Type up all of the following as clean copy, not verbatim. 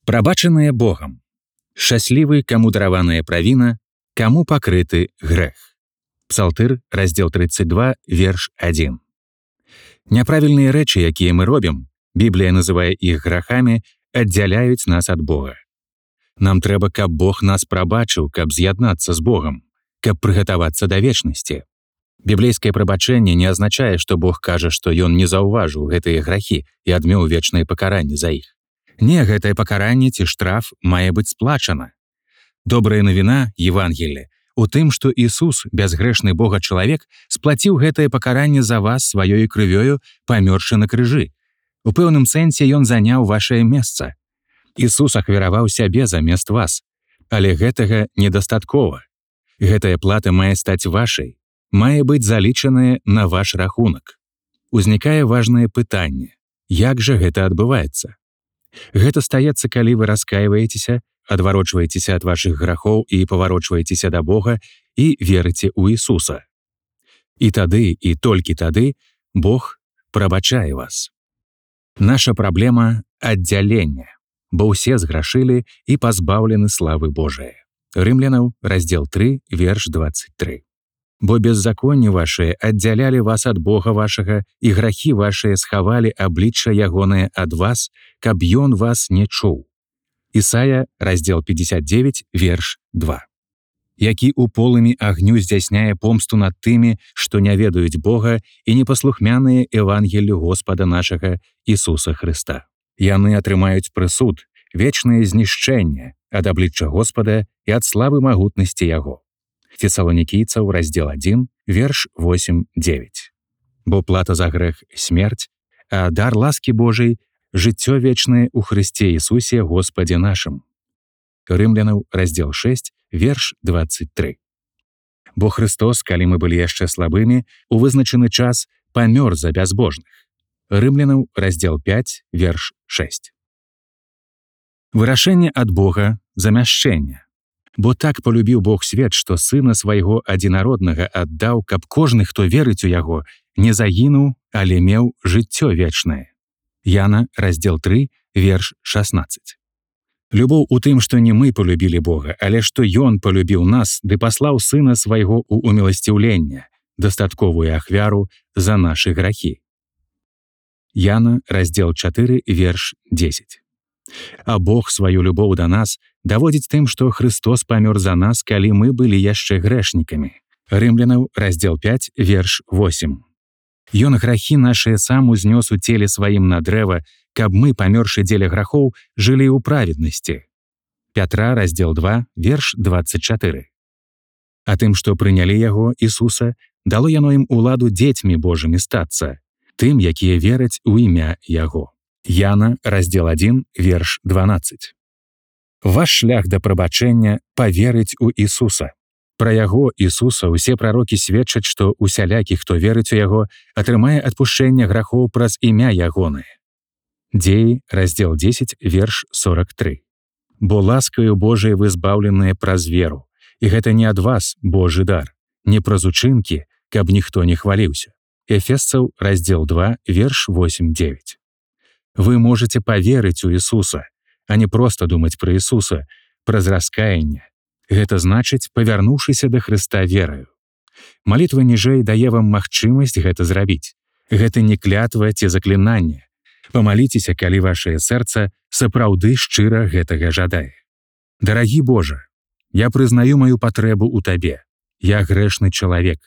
Прабачаныя Богам. Шчаслівы, каму дараваная правіна, каму пакрыты грэх. Псалтыр, раздзел 32, верш 1. Няправільныя рэчы, якія мы робім, Біблія называе іх грахамі, аддзяляюць нас ад Бога. Нам трэба, каб Бог нас прабачыў, каб з'яднацца з Богам, каб прыгатавацца да вечнасці. Біблейскае прабачэнне не азначае, што Бог кажа, што Ён не заўважыў гэтыя грахі і адмеў вечнае пакаранне за іх. Не, гэтае пакаранне ці штраф мае быць сплачана. Добрая навіна, Евангелле, у тым, што Ісус, бязгрэшны Бога чалавек, сплаціў гэтае пакаранне за вас сваёй крывёю, памёршы на крыжы. У пэўным сэнсе Ён заняў вашае месца. Ісус ахвяраваў сябе замест вас. Але гэтага недастаткова. Гэтая плата мае стаць вашай, мае быць залічаная на ваш рахунак. Узнікае важнае пытанне: як жа гэта адбываецца? Гэта стаецца, калі вы раскайваецеся, адварочваецеся ад вашых грахоў і паварочваецеся да Бога і верыце ў Ісуса. І тады, і толькі тады Бог прабачае вас. Наша праблема – аддзяленне, бо ўсе зграшылі і пазбаўлены славы Божае. Рымлянаў, раздзел 3, верш 23. Бо беззаконні вашыя аддзялялі вас ад Бога вашага, і грахі вашыя схавалі аблічча ягонае ад вас, каб ён вас не чуў. Ісая, раздзел 59, верш 2. Які ў полымі агню здзяйсняе помсту над тымі, што не ведаюць Бога і непаслухмяныя Евангеллю Господа нашага Ісуса Хрыста. Яны атрымаюць прысуд, вечнае знішчэнне ад аблічча Господа і ад славы магутнасці Яго. Фесалонікійцаў, раздзел 1, верш 8-9. Бо плата за грэх – смерць, а дар ласкі Божай – жыццё вечнае ў Хрысце Ісусе Господе нашым. Рымлянаў, раздзел 6, верш 23. Бо Хрыстос, калі мы былі яшчэ слабымі, у вызначаны час памёр за бязбожных. Рымлянаў, раздзел 5, верш 6. Вырашэнне ад Бога – замяшчэнне. Бо так полюбіў Бог свет, што Сына свайго адзінароднага аддаў, каб кожны, хто верыць у Яго, не загінуў, але меў жыццё вечнае. Яна, раздзел 3, верш 16. Любоў у тым, што не мы полюбілі Бога, але што Ён полюбіў нас ды паслаў Сына свайго ў уміласціўленне, дастатковую ахвяру за нашы грахі. Яна, раздзел 4, верш 10. А Бог сваю любоў да нас даводзіць тым, што Хрыстос памёр за нас, калі мы былі яшчэ грэшнікамі. Рымлянаў, раздзел 5, верш 8. Ён грахі нашыя сам узнёс у целе сваім на дрэва, каб мы, памёршы дзеля грахоў, жылі ў праведнасці. Пятра, раздзел 2, верш 24. А тым, што прынялі Яго, Ісуса, дало яно ім уладу дзецьмі Божымі стацца, тым, якія вераць у імя Яго. Яна, раздзел 1, верш 12. Ваш шлях да прабачэння – паверыць у Ісуса. Пра Яго, Ісуса, усе прарокі сведчаць, што усялякі, хто верыць у Яго, атрымае адпушчэнне грахоў праз імя Ягонае. Дзеі, раздзел 10, верш 43. Бо ласкаю Божай вы збаўленыя праз веру, і гэта не ад вас, Божы дар, не праз учынкі, каб ніхто не хваліўся. Эфесцаў, раздзел 2, верш 8-9. Вы можете паверыць у Ісуса, а не проста думаць пра Ісуса, праз раскаянне. Гэта значыць, павярнуўшыся да Хрыста вераю. Малітва ніжэй дае вам магчымасць гэта зрабіць. Гэта не клятва ці заклінанне. Памаліцеся, калі вашае сэрца сапраўды шчыра гэтага жадае. Дарагі Божа, я прызнаю маю патрэбу ў Табе. Я грэшны чалавек.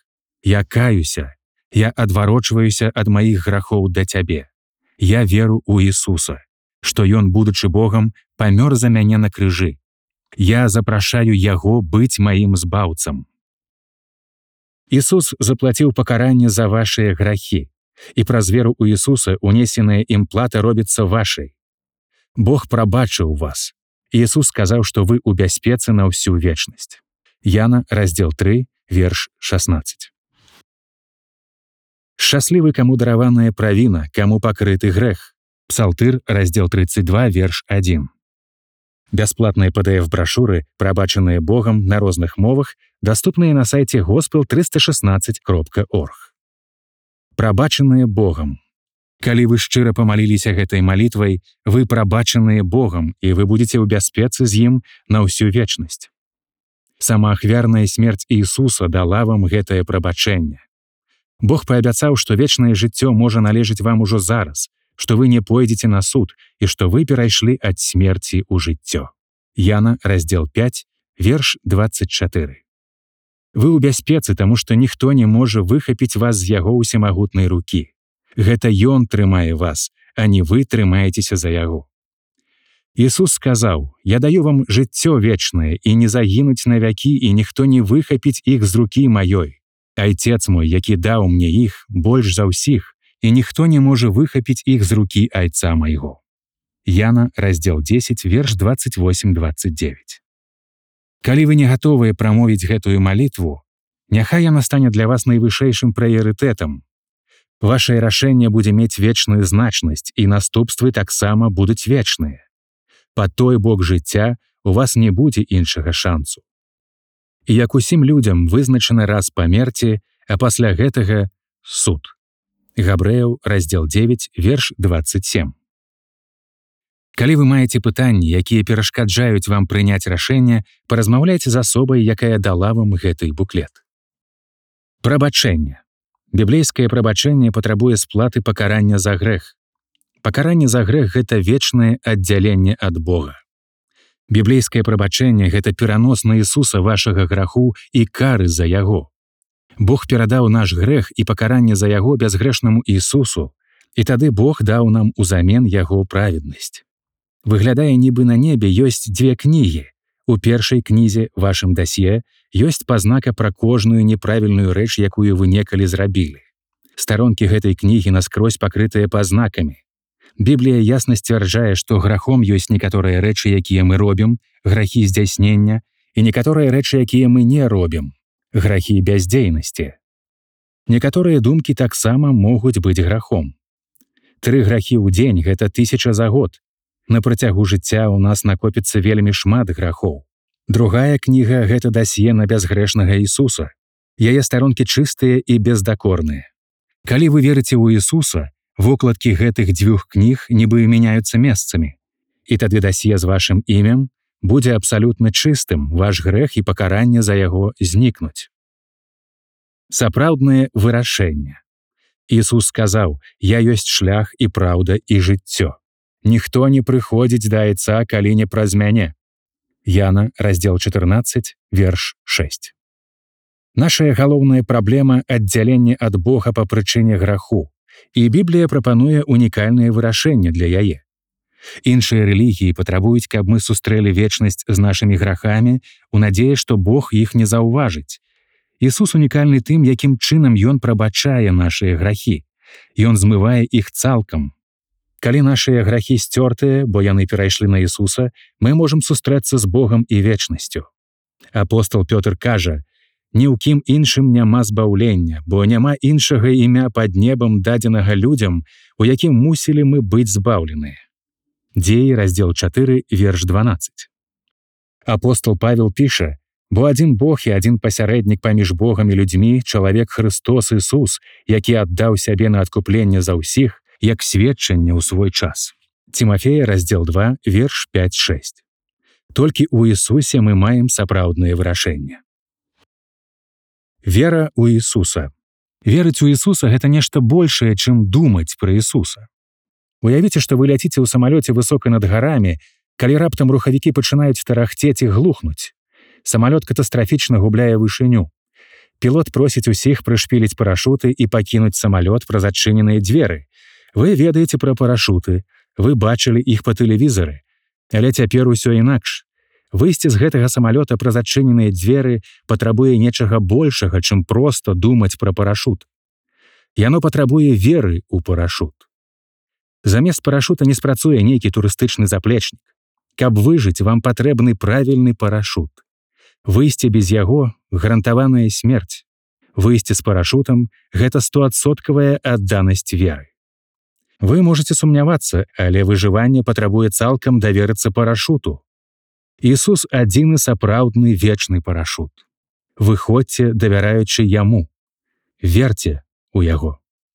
Я каюся. Я адварочваюся ад маіх грахоў да Цябе. Я веру ў Ісуса, што Ён, будучы Богам, памёр за мяне на крыжы. Я запрашаю Яго быць маім збаўцам. Ісус заплаціў пакаранне за вашыя грахі, і праз веру ў Ісуса унесеная ім плата робіцца вашай. Бог прабачыў вас. Ісус сказаў, што вы ў бяспецы на ўсю вечнасць. Яна, раздзел 3, верш 16. Шчаслівы, каму дараваная правіна, каму пакрыты грэх. Псалтыр, раздзел 32, верш 1. Бясплатныя PDF-брашуры, прабачаныя Богам на розных мовах, даступныя на сайце gospel316.org. Прабачаныя Богам. Калі вы шчыра памаліліся гэтай малітвай, вы прабачаныя Богам, і вы будзеце ў бяспецы з ім на ўсю вечнасць. Сама ахвярная смерць Ісуса дала вам гэтае прабачэнне. Бог паабяцаў, што вечнае жыццё можа належыць вам ужо зараз, што вы не пойдзеце на суд і што вы перайшлі ад смерці ў жыццё. Яна, раздзел 5, верш 24. Вы ў бяспецы, таму што ніхто не можа выхапіць вас з яго ўсемагутнай рукі. Гэта Ён трымае вас, а не вы трымаецеся за яго. Ісус сказаў: «Я даю вам жыццё вечнае, і не загінуць навякі, і ніхто не выхапіць іх з рукі маёй. Айцец мой, які даў мне іх, больш за ўсіх, і ніхто не можа выхапіць іх з рукі айца майго». Яна, раздзел 10, верш 28-29. Калі вы не гатовыя прамовіць гэтую малітву, няхай яна стане для вас найвышэйшым прыярытэтам. Вашае рашэнне будзе мець вечную значнасць, і наступствы таксама будуць вечныя. Па той бок жыцця у вас не будзе іншага шансу. І як усім людзям вызначана раз памерці, а пасля гэтага суд. Габрэяў, раздзел 9, верш 27. Калі вы маеце пытанні, якія перашкаджаюць вам прыняць рашэнне, паразмаўляйце з асобай, якая дала вам гэты буклет. Прабачэнне. Біблейскае прабачэнне патрабуе сплаты пакарання за грэх. Пакаранне за грэх – гэта вечнае аддзяленне ад Бога. Біблейскае прабачэнне – гэта перанос на Ісуса вашага граху і кары за яго. Бог перадаў наш грэх і пакаранне за яго бязгрэшнаму Ісусу, і тады Бог даў нам узамен яго праведнасць. Выглядае, нібы на небе ёсць дзве кнігі. У першай кнізе, вашым дасье, ёсць пазнака пра кожную неправільную рэч, якую вы некалі зрабілі. Старонкі гэтай кнігі наскрозь пакрытыя пазнакамі. Біблія ясна сцвярджае, што грахом ёсць некаторыя рэчы, якія мы робім, грахі здзяйснення, і некаторыя рэчы, якія мы не робім, грахі бяздзейнасці. Некаторыя думкі таксама могуць быць грахом. 3 грахі ў дзень – гэта 1000 за год. На працягу жыцця ў нас накопіцца вельмі шмат грахоў. Другая кніга – гэта дасье на бязгрэшнага Ісуса. Яе старонкі чыстыя і бездакорныя. Калі вы верыце ў Ісуса, вокладкі гэтых 2 кніг нібы мяняюцца месцамі. І тады дасье з вашым імем будзе абсалютна чыстым, ваш грэх і пакаранне за яго знікнуць. Сапраўднае вырашэнне. Ісус сказаў: «Я ёсць шлях і праўда і жыццё. Ніхто не прыходзіць да айца, калі не праз мяне». Яна, раздзел 14, верш 6. Нашая галоўная праблема – аддзяленне ад Бога па прычыне граху, і Біблія прапануе унікальнае вырашэнне для яе. Іншыя рэлігіі патрабуюць, каб мы сустрэлі вечнасць з нашымі грахамі у надзеі, што Бог іх не заўважыць. Ісус унікальны тым, якім чынам Ён прабачае нашыя грахі. Ён змывае іх цалкам. Калі нашыя грахі сцёртыя, бо яны перайшлі на Ісуса, мы можам сустрэцца з Богам і вечнасцю. Апостол Пётр кажа: «Ні ў кім іншым няма збаўлення, бо няма іншага імя пад небам дадзенага людзям, у якім мусілі мы быць збаўленыя». Дзеі, раздзел 4, верш 12. Апостол Павел піша: «Бо адзін Бог і адзін пасярэднік паміж Богам і людзьмі, чалавек Хрыстос Ісус, які аддаў сябе на адкупленне за ўсіх, як сведчанне ў свой час». Цімафея, раздзел 2, верш 5-6. Толькі ў Ісусе мы маем сапраўднае вырашэнне. Вера ў Ісуса. Верыць у Ісуса – гэта нешта большае, чым думаць пра Ісуса. Уявіце, што вы ляціце ў самалёце высока над гарамі, калі раптам рухавікі пачынаюць тарахцець і глухнуць. Самалёт катастрафічна губляе вышыню. Пілот просіць усіх прышпіліць парашуты і пакінуць самалёт праз адчыненыя дзверы. Вы ведаеце пра парашуты, вы бачылі іх па тэлевізары. Але цяпер усё інакш. Выйсці з гэтага самалёта праз адчыненыя дзверы патрабуе нечага большага, чым проста думаць пра парашут. Яно патрабуе веры ў парашут. Замест парашута не спрацуе нейкі турыстычны заплечнік. Каб выжыць, вам патрэбны правільны парашут. Выйсці без яго – гарантаваная смерць. Выйсці з парашутам – гэта 100% адданасць веры. Вы можаце сумнявацца, але выжыванне патрабуе цалкам даверыцца парашуту. Ісус – адзіны сапраўдны вечны парашут. Выходзьце, давяраючы Яму. Верце ў яго.